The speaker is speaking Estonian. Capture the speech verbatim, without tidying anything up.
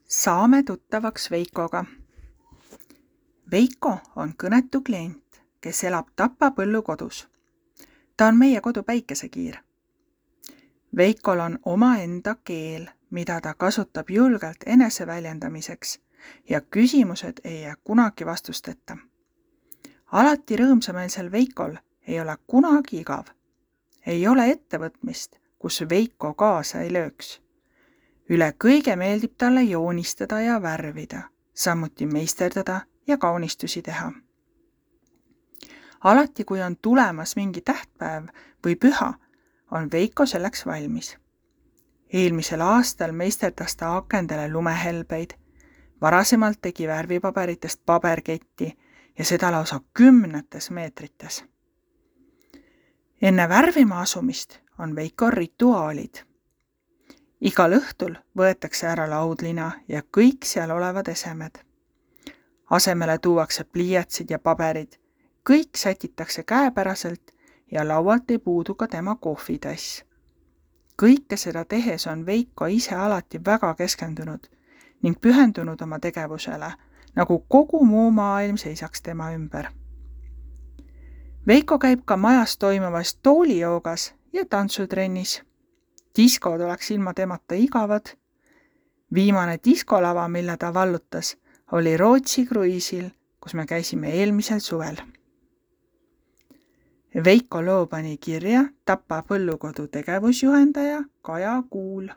Saame tuttavaks Veikoga. Veiko on kõnetu klient, kes elab Tapa põllukodus. Ta on meie kodu päikesekiir. Veikol on omaenda keel, mida ta kasutab julgelt eneseväljendamiseks ja küsimused ei jää kunagi vastusteta. Alati rõõmsameelsel Veikol ei ole kunagi igav. Ei ole ettevõtmist, kus Veiko kaasa ei lööks. Üle kõige meeldib talle joonistada ja värvida, samuti meisterdada ja kaunistusi teha. Alati, kui on tulemas mingi tähtpäev või püha, on Veiko selleks valmis. Eelmisel aastal meisterdas ta akendele lumehelbeid, varasemalt tegi värvipaberitest paberketti ja seda lausa kümnetes meetrites. Enne värvima asumist on Veiko rituaalid. Igal õhtul võetakse ära laudlina ja kõik seal olevad esemed. Asemele tuuakse pliiatsid ja paberid, kõik sätitakse käepäraselt ja laualt ei puudu ka tema kohvitass. Kõike seda tehes on Veiko ise alati väga keskendunud ning pühendunud oma tegevusele, nagu kogu muu maailm seisaks tema ümber. Veiko käib ka majas toimuvas toolijoogas ja tantsutrennis. Diskod oleks ilma temata igavad. Viimane diskolava, mille ta vallutas, oli Rootsi kruiisil, kus me käisime eelmisel suvel. Veiko loo pani kirja Tapa põllukodu tegevusjuhendaja Kaja Kuul.